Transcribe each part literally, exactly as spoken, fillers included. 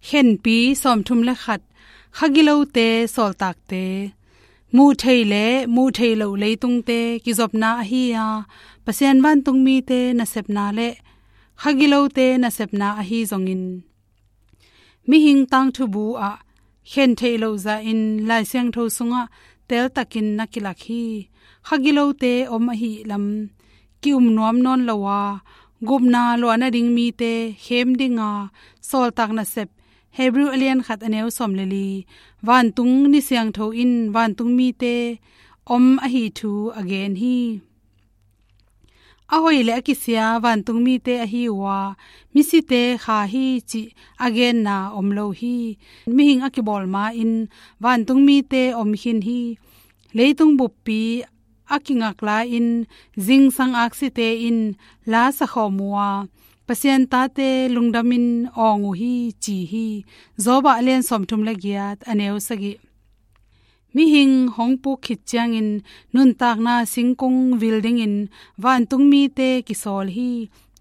Khenpi sawmthum le khat. Kha gilote sawltakte. Muh theih le muh theih loh leitungte kizopna ahi a, Pasian vantungmite nasepna le kha gilote nasepna ahi zongin, mihing tangthubu ah khen theih loh zahin Lai Siangtho sungah teltakin na kilak hi. Kha gilote om ahih lam ki-um nuam nawn lo a, gupna luah nading mite khem dinga sawltak nasep, Hebrew a lian khat a neu sawm le li. Vantung ni siangtho in vantung mite om ahi thu a gen hi. A hoih le a kisia vantung mite ahi uh a, misite kha hi cih a genna om lo hi. Mihing a kibawl ma-in vantung mite om khin hi. Leitung buppi a kingak lai-in zingsang aksite in la sakhawm uh a, Pasian tate lungdamin awng uh hi, ci hi. Job a lian sawmthum le giat a neu sagih. Mihing hong puk khit ciangin nuntakna singkung vil dingin vantung mite kisawl hi.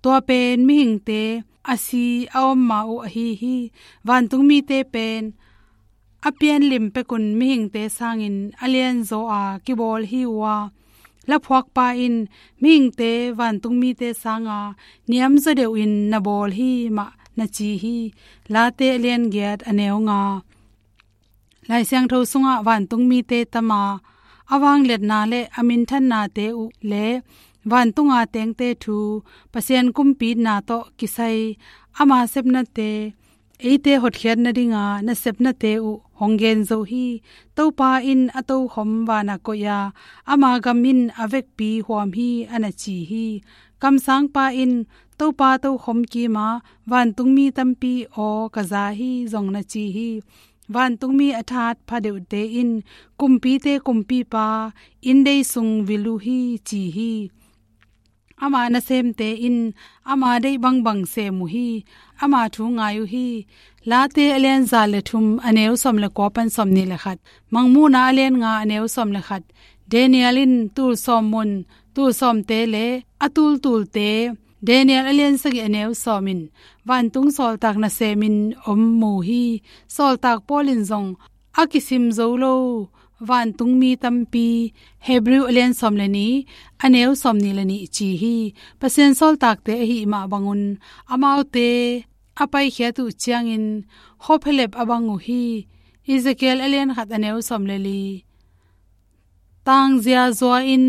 Tua pen mihingte a si a om ma uh ahi hi. Vantung mite pen a pianlim pekun mihingte sangin a lianzaw a kibawl hi uh a, laphuakpa in mihingte vantung mite sanga niamzaw deuhin na bawl hi mah na ci hi. Late a lian giat a neu nga. Lai Siangtho sungah vantung mite tam a, a vangliatna le a minthannate uh le vantunga tengte thu, Pasian kumpitna tawh kisai ama sepnate, eite hotkhiat nadinga nasepnate uh hong gen zo hi. Topa in a tokhom vana koih a, ama gam in a vekpi huam hi, a na ci hi. Kamsangpa in Topa tokhom kima vantungmi tampi aw ka za hi, zong na ci hi. Vantungmi a thatpha deuhte in kumpite kumpipa inndei sung vil uh hi, ci hi. Ama nasemte in ama deih bangbang sem uh hi. Ama thu ngai uh hi. Late a lian za le thum a neu sawm le kua pan sawm ni le khat. Mangmuhna a lian nga a neu sawm le khat. Daniel in tul sawm mun, tul sawmte le a tultulte. Daniel a lian sagih a neu sawm in vantung sawltak nasemin om mu hi. Sawltak Paul in zong a kisim zo lo vantungmi tampi, Hebrew a lian sawm le ni, a neu sawm ni le ni ci hi. Pasian sawltakte ahih mah bangun amaute a paikhiat uh ciangin khuaphelep a bang uh hi. Ezekiel a lian khat a neu sawm le li. Tangzia zua in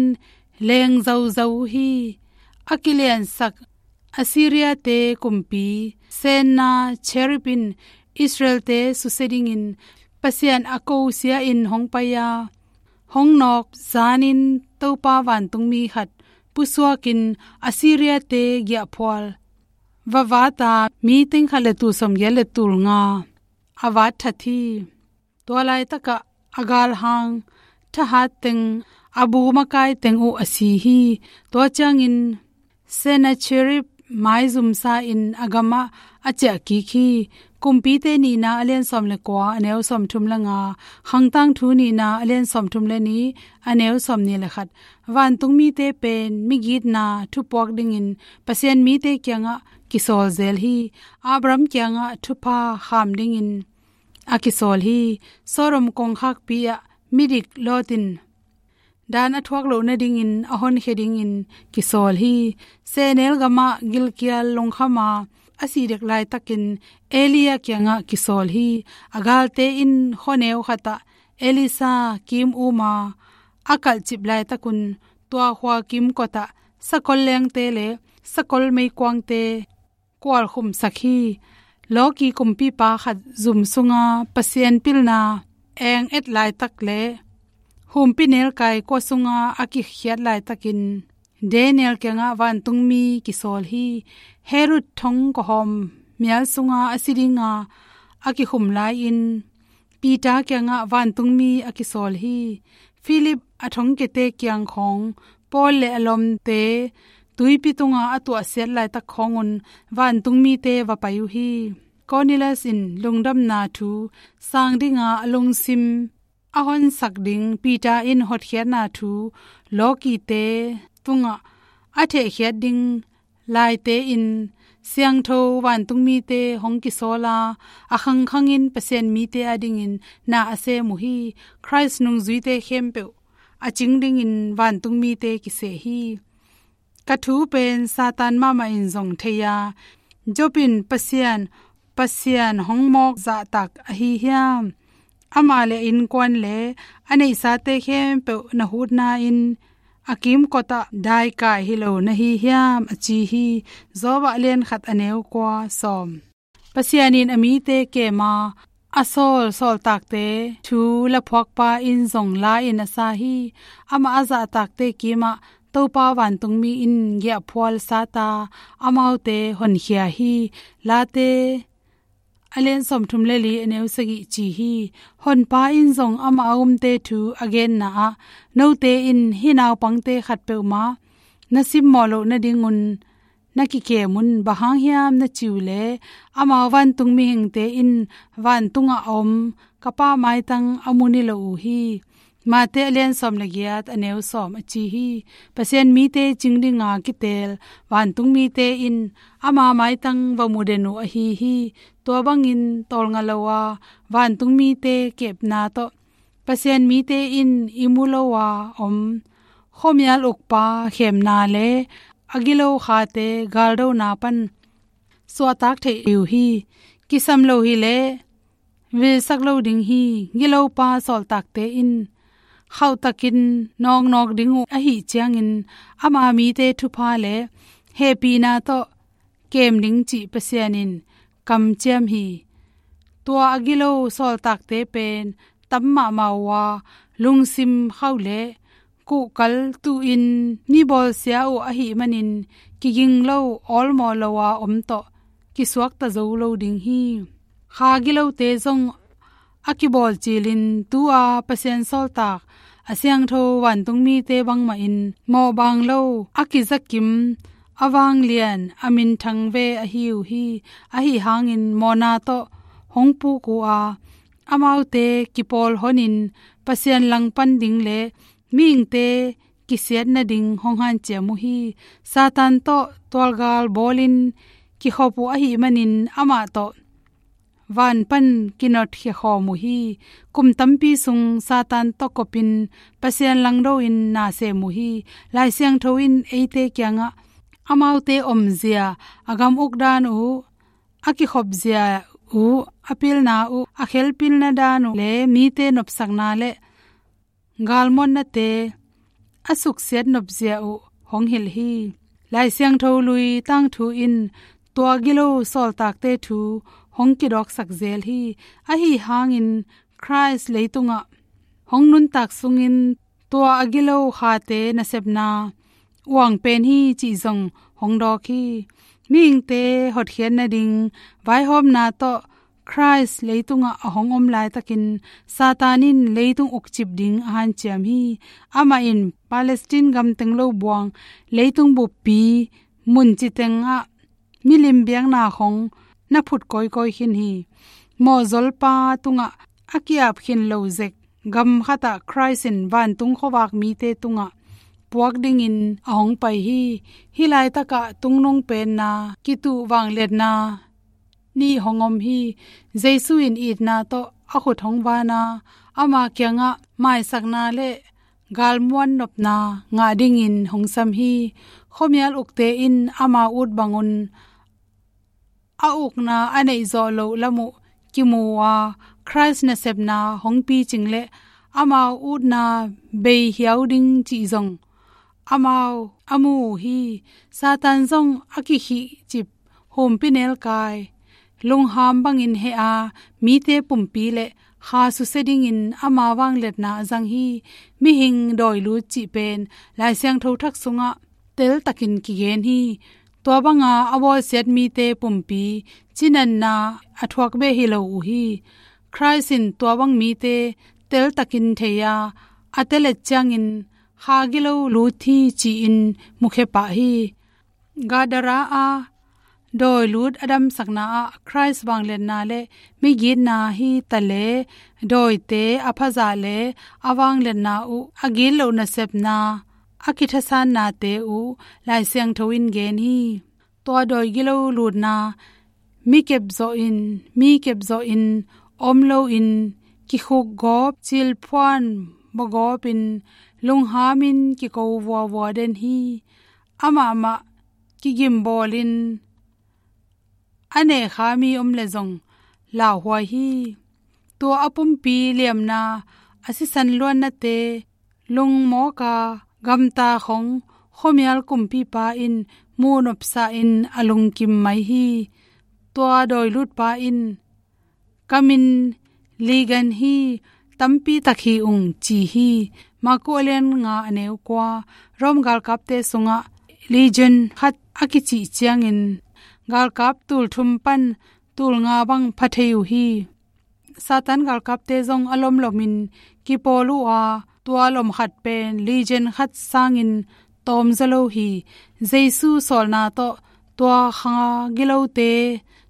leng zozo uh hi. A kiliansak Assyria-te kumpi Sennacherib in Israel-te susia dingin Pasian a kosia in hong pai a, hong nawk zanin Topa vantungmi khat pusuakin Assyria-te giahphual va vat a, mi teng khat le tul sawmgiat le tul nga a vat that hi. Tua laitakah a galhang thahat teng, a bu makai teng uh a si hi. Tua ciangin Sennacherib maizumsa in a gamah a ciah kik hi. Kumpite nihna a lian sawm le kua a neu sawm thum le nga, Khangtangthu nihna a lian sawm thum le ni a neu sawm ni le khat. Vantungmite pen migitna thupuak dingin Pasian mite kiangah kisawl zel hi. Abraham kiangah thupha kham dingin a kisawl hi. Sodom kongkhakpi ah midik Lot in dan a thuak loh nadingin a honkhia dingin kisawl hi. Sehnel gamah gilkial lungkhama a si dek laitakin Elijah kiangah kisawl hi. A galte in khuaneu khatah Elisha kim uma a kalhcip laitakun tua khua kimkotah sakol lengte le sakol meikuangte kualkhumsak hi. Loki kumpipa khat zum sunga Pasian pilna eng et laitak le humpinelkai kua sunga a kikhiat laitakin Daniel kiangah vantungmi kisawl hi. Herod thong kawhawm mial sunga a si dinga a kikhum lai-in Peter kiangah vantungmi a kisawl hi. Philip a thongkiate kiang khawng Paul le a lawmte tuipi tunga a tuahsiat laitak khawngun vantungmite va pai uh hi. Cornelius in lungdamna thu sang dinga a lungsim a honsak ding Peter in hotkhiatna thu lawkite tungah a thehkhiat ding laite in siangtho vantungmite hong kisawl a, a khangkhangin Pasian mite adingin na a sem uh hi. Khrist nungzuite khempeuh a cing dingin vantungmite kiseh hi. Ka thu pen Satan mahmah in zong thei a, Job in Pasian, Pasian hong mawk zahtak ahi hiam? Amah le a innkuan le a neihsate khempeuh na hutna in a kimkotah daikai hi lo na hi hiam? A ci hi. Job lian khat a neu kua sawm. Pasian in a mite kem a, a sawl sawltakte thu laphuakpa in zong la in a sa hi. Amah a zahtakte kimah Topa vantungmi in giahphual sata amaute honkhia hi. Late a lian sawmthum le li a neu sagih ci hi. Honpa in zong amah a umte thu a genna ah, note in hih naupangte khat peuhmah na simmawh loh nadingun na kikem un. Bang hang hiam na ci uh leh, amau vantung mihingte in vantungah a om ka Pa maitang a mu ni lo uh hi. Mate a lian sawm le giat a neu sawm a ci hi. Pasian mite cing dinga kiteel vantung mite in ama maitang va mu den uh ahi hi. Tua bangin tawlnga lo a vantung mite kepna tawh Pasian mite in i mu lo a om khuamial ukpa khemna le a gilo khate galdona pan suahtak theih uh hi. Kisam lo hileh vilsak lo ding hi. Gilopa sawltakte in khauhtakin nawknawk ding uh ahih ciangin ama mite thupha le hehpihna tawh kem ding cih Pasian in kamciam hi. Tua a gilo sawltakte pen tam mahmah uh a, lungsim khauh le kuhkal tuhin mi bawlsia uh ahih manin kiging lo, awlmawh lo a om tawh kisuakta zo lo ding hi. Kha gilote zong a kibawlcilin tu-a Pasian sawltak a siangtho vantung mite bangmahin mawhbang lo, a kizakim, a vanglian, a minthang ve ahi uh hi. Ahi hangin mawhna tawh hong puk uh a, amaute kipawl honin Pasian langpan ding le mihingte kisiat nading hong hanciam uh hi. Satan tawh tualgal bawlin kikhop uh ahih manin amah tawh van pan kinotkhia khawm uh hi. Kum tampi sung Satan tawh kopin Pasian langdo in na sem uh hi. Lai Siangtho in eite kiangah amaute omzia, a gam uk dan uh, a kikhopzia uh, a pilna uh, a khelpilna dan uh le mite nopsakna le galmuannate a suksiat nopzia uh hong hilh hi. Lai Siangtho lui tangthu in tua gilo sawltakte thu hong kidawksak zel hi. Ahi hangin Khrist leitungah hong nuntak sungin tua a gilo khate nasepna uang pen hi cih zong hong dawk hi. Mihingte hotkhiat nading vaihawmna tawh Khrist leitungah a hong om laitakin Satan in leitung ukcip ding a hanciam hi. Amah in Palestine gam teng lo buang, leitung buppi mun citengah milim biakna khong na phut kawikawi khin hi. Mawhzolpa tungah a ki-ap khin lo zek gam khatah Khrist in vantung khuavak mite tungah puak dingin a hong pai hi. Hih laitakah tungnung penna kituh vangliatna nih hong om hi. Jesu in itna tawh a khut hong van a, ama kiangah maisakna le galmuan nopna ngah dingin hong sam hi. Khuamial ukte in ama ut bangun a ukna a neih zawh loh lam uh kimu uh a, Khrist nasepna hong picing le amau utna bei hiau ding cih zong amau a mu uh hi. Satan zong a kikhihcip humpinelkai lungham bangin heh a, mite pumpi le kha susia dingin ama vangliatna a zang hi. Mihing dawilut cih pen Lai Siangtho Thak sungah teltakin kigen hi. Tua banga a bawlsiat mite pumpi cinatna a thuak beh hi lo uh hi. Khrist in tua bang mite teltakin thei a, a telet ciangin kha gilo lut hi ci-in mukhia pah hi. Gadara a dawilut a damsakna ah Khrist vangliatna le migitna hi ta le, dawite a phazah le a vangliatna uh, a gitloh nasepna, a kithasannate uh Lai Siangtho in gen hi. tua dawi gilo lutna mi kepzawhin, mi kepzawhin om loin kikhuk gawp, cilphuan bawgawpin, lunghamin kiko vuavua den hi. Amah mah kigimbawlin a nehkha mi om leh zong lauhuai hi. Tua a pumpi liamna, a sisan luannate lungmawka gamta khong khuamial kumpipa in muhnopsahin a lungkim mai hi. Tua dawilutpa in, "Ka min Legion hi, tampi tak hi ung," ci hi. Marku a lian nga a neu kua. Rom galkapte sungah Legion khat a kicih ciangin galkap tul thum pan tul nga bang pha thei uh hi. Satan galkapte zong a lomlomin kipawl uh a, tua lom khat pen Legion khat sangin tawm zaw lo hi. Jesu sawlna tawh tua kha gilote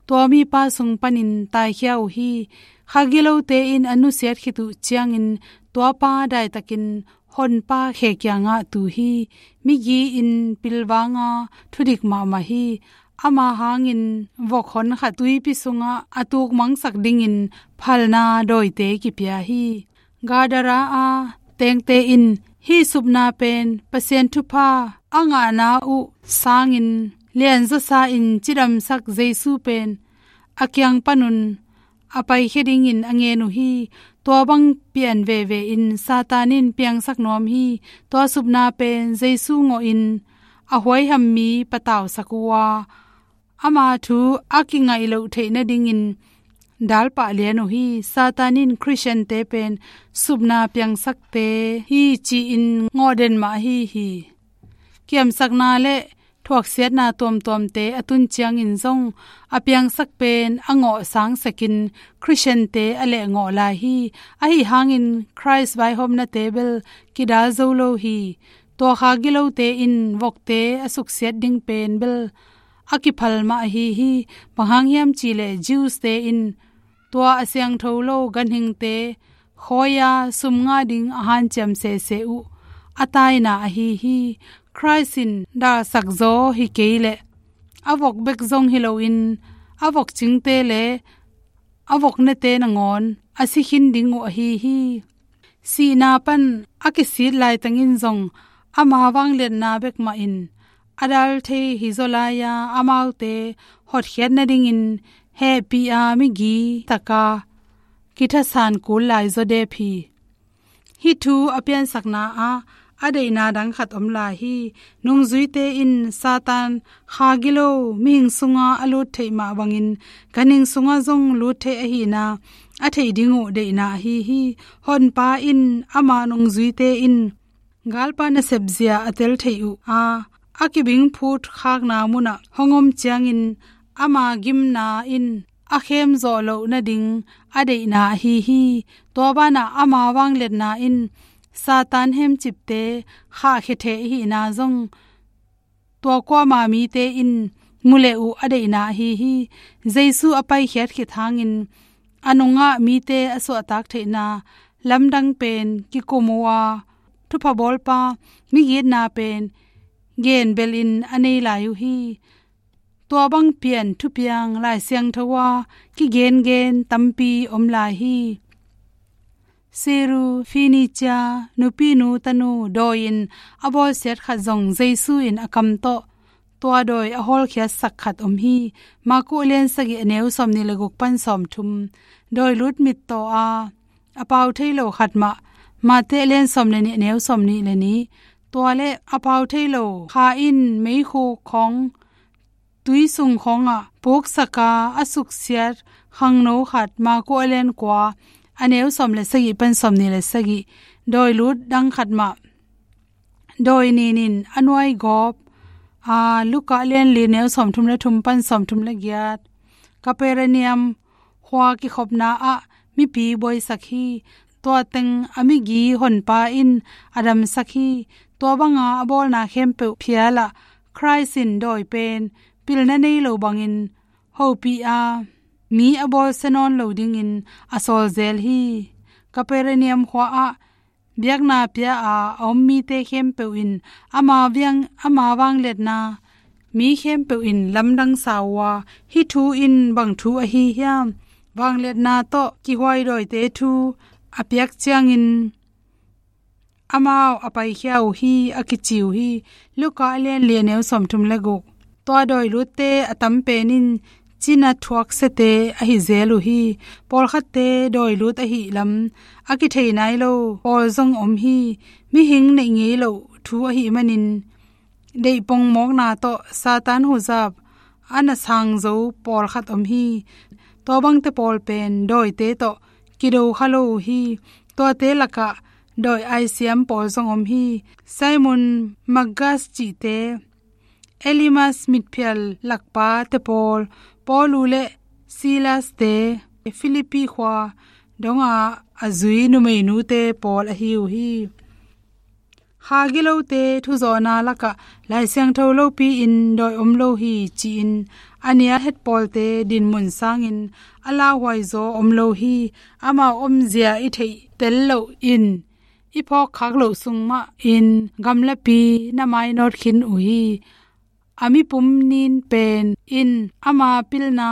tua mipa sung panin taikhia uh hi. Kha gilote in a nusiat khit uh ciangin tuapa daitakin Honpa khe kiangah tu hi. Migi in pilvanga thudik mahmah hi. Ama hangin vok hon khat tuipi sungah a tukmangsak dingin phalna dawite kipia hi. Gadara a tengte in hih supna pen Pasian thupha a ngahna uh sangin lianzawsa in cidamsak Jesu pen a kiang panun a paikhia dingin a ngen uh hi. Tua bang pian veve in Satan in piangsak nuam hi. Tua supna pen Jesu ngawhin a huaiham mi patausak uh a, ama thu a kingaih loh theih nadingin dalpah lian uh hi. Satan in Khristiante pen supna piangsakte hi ci-in ngawh den mah ahi hi. Kiamsakna le thuaksiatna tuamtuamte a tun ciangin zong a piangsak pen a ngawh sangsakin Khristiante a lehngawh lai hi. Ahi hangin Khrist vaihawmnate bel kidal zo lo hi. Tua kha gilote in vokte a suksiat ding pen bel a kiphal mah ahi hi. Bang hang hiam cihleh Jews-te in tua a siangtho lo ganhingte khawi-a sum ngah ding a hanciam sese uh a taina ahi hi. Khrist in dalsak zaw hi kei leh a vok bek zong hi loin a vok cingte le a vok nete nangawn a si khin ding uh ahi hi. Sihna pan a kisit laitangin zong ama vangliatna bek mahin a dal thei hi zaw lai-a, amaute hotkhiat nadingin hehpih a migi taka kithasan kul lai zaw dep hi. Hih thu a piansakna ah a deihna dang khat om lai hi. Nungzuite in Satan kha gilo mihing sunga a lut theih mah bangin ganhing sunga zong lut theih ahihna a theih ding uh deihna ahi hi. Honpa in ama nungzuite in galpa nasepzia a tel theih uh a, a kibingphut khakna munah hong om ciangin ama gimna in a khem zawh loh nading a deihna ahi hi. Tua banah ama vangliatna in Satan hemcipte khahkhia thei ahihna zong tua kuama mite in mu leh uh a deihna ahi hi. Jesu a paikhiat khit hangin a nungah mite a suahtak theihna lamdang pen kikum uh a, thupha bawlpa migitna pen genbelin a nei lai uh hi. Tua bang pian thupiang Lai Siangtho ah kigengen tampi om lai hi. Sirofenicia nupinu tanu dawi in a bawlsiat khat zong Jesu in a kam tawh tua dawi a hawlkhiatsak khat om hi. Marku a lian sagih a neu sawmnih le guk pan sawmthum. Dawi lut mittaw a a pau thei lo khat mah. Mate a lian sawm le nih a neu sawmnih le nih. Tua le a pau thei lo kha in meikhuk khawng tui sung khawngah puksak a a suksiat khangno khat. Marku a lian kua a neu sawm le sagih pan sawmnih le sagih. Dawi lut dang khat mah. Dawi nin in a nuai gawp a, Luka a lian li a neu sawmthum le thum pan sawmthum le giat. Kapernaum khua kikhopna ah mipi buaisak hi. Tua teng a migi honpa in a damsak hi. Tua banga a bawlna khempeuh phial ah Khrist in dawi pen pilna nei lo bangin hopih a, mi a bawlsia nawn lo dingin a sawl zel hi. Kapernaum khua ah biakna pia a a om mite khempeuh in ama viang, ama vangliatna mi khempeuh in lamdang sa uh a, hih thu in bang thu ahi hiam? Vangliatna tawh kihuai dawite thu a piak ciangin amau a paikhia uh hi, a kici uh hi. Luka a lian li, a neu sawmthum le guk. Tua dawi lutte a tam pen in cina thuaksiate ahi zel uh hi. Pawlkhatte dawi lut ahih lam a kithei nai lo pawl zong om hi. Mihing neih ngei loh thu ahih manin deih pongmawkna tawh Satan huzap a na sang zo pawlkhat om hi. Tua bangte pawl pen dawite tawh kido kha lo uh hi. Tuate lakah dawi aisiam pawl zong om hi. Simon Magus cihte, Elymas mitphial lakpate pawl, Paul uh le Silaste, Philippi khua dongah a zui numeinute pawl ahi uh hi. Kha gilote thuzawhna lakah Lai Siangtho lopi-in dawi om lo hi ci-in a nia het pawlte dinmun sangin a lauhuai zaw om lo hi. Amau omzia i theih tel loh in i phawkkhak loh sung mahin gamlapi na mainawt khin uh hi. A mipum nin pen in ama pilna,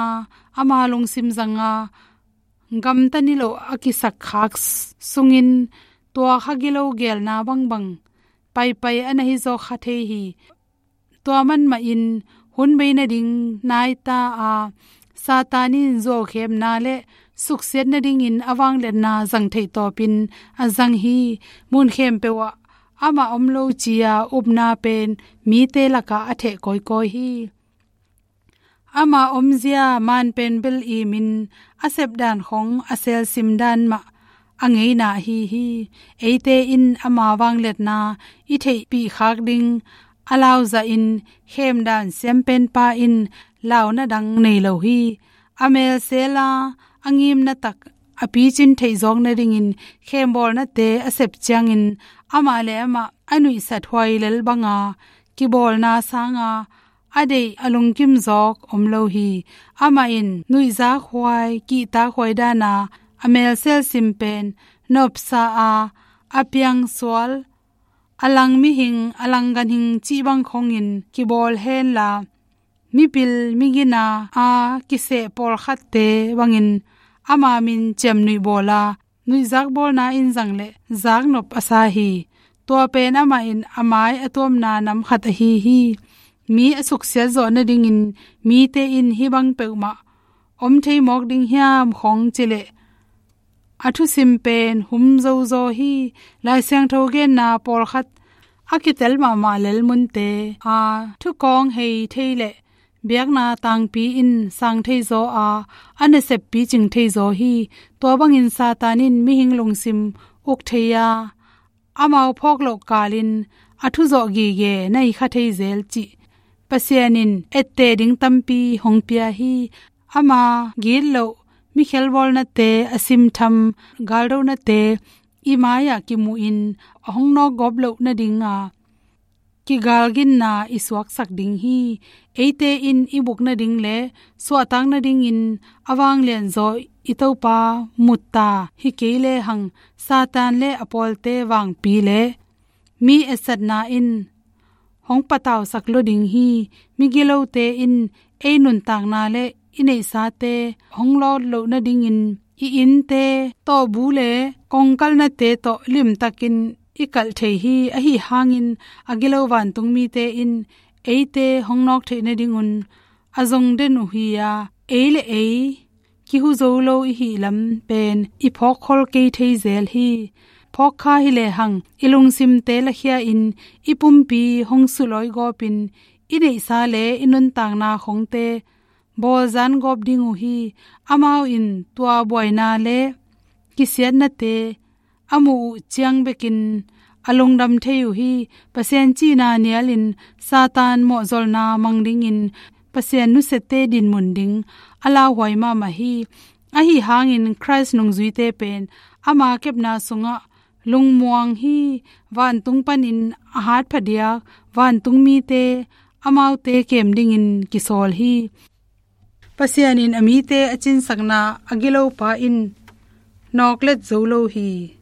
ama lungsim zanga gamta niloh a kisakkhak sungin tua kha gilo gelna bangbang paipai a na hi zaw kha thei hi. Tua man mahin hun bei nading nai ta a, Satan in zuaukhemna le suksiat nadingin a vangliatna zang theih tawpin a zang hi. Mun khempeuh ah amah om lo ci-a upna pen mite lakah a theh kawikawi hi. Ama omzia man pen bel imin a sepdan khong a selsim dan mah a ngeina ahi hi. Eite in ama vangliatna i theihpih khak ding a lauzahin khemdan siampenpa in launa dang nei lo hi. A melsela a ngimna tak a picin theihzawk nadingin khembawlnate a sep ciangin amah le amah a nuihsat huai lel banga kibawlna sanga a deih a lungkim zawk om lo hi. Amah in nuihzak huai, kihtak huai dana a melsel sim pen nopsa a, a piangsual, a lang mihing, a lang ganhing cih bang khongin kibawl henla, mipil migina a kiseh pawlkhatte bangin ama min ciamnuih bawla nuihzak bawlna in zang le zaknop a sa hi. Tua pen amah in a mai a tuamna nam khat ahi hi. Mi a suksiat zawh nadingin mite in hih bang peuhmah om thei mawk ding hiam khong cileh a thusim pen hum zozaw hi. Lai Siangtho genna pawlkhat a kitel mahmah lelmunte a thukawng hei thei le biakna tangpi in sang theizaw a, a naseppi cing theizaw hi. Tua bangin Satan in mihing lungsim uk thei a, amau phawk loh kalin a thuzawh gige na hi kha thei zel cih Pasian in etteh ding tampi hong pia hi. Ama gitloh mikhelbawlnate, a simtham galdonate i mai-ah kimuhin a hong nawkgawp loh nadinga kigalginna i suaksak ding hi. Eite in i buk nading le suahtak nadingin a vanglianzaw i Topa mutta hi kei lehang Satan le a pawlte vangpi le mi etsatna in hong patausak lua ding hi. Migilote in ei nuntakna le i neihsate hong lawt loh nadingin i innte tawhbu le kongkalnate tawh limtakin i kalh thei hi. Ahi hangin a gilo vantung mite in eite hong nawk theih nadingun a zong den uh hi-a, ei le ei kihu zo lo i hih lam pen i phawkkhol kei thei zel hi. Phawkkha hi lehang i lungsimte lakhia-in i pumpi hong sulawigawpin i neihsa le i nuntakna khongte bawlzan gawp ding uh hi. Amau in tua buaina le kisiatnate a muh uh ciang bekin a lungdam thei uh hi. Pasian cihna nialin Satan mawhzolna mang dingin Pasian nusiate dinmun ding a lauhuai mahmah hi. Ahi hangin Khrist nungzuite pen ama kepna sungah lungmuang hi. Vantung panin a hat phadiak vantung mite amaute kem dingin kisawl hi. Pasian in a mite a cinsakna a gilopa in nawklet zo lo hi.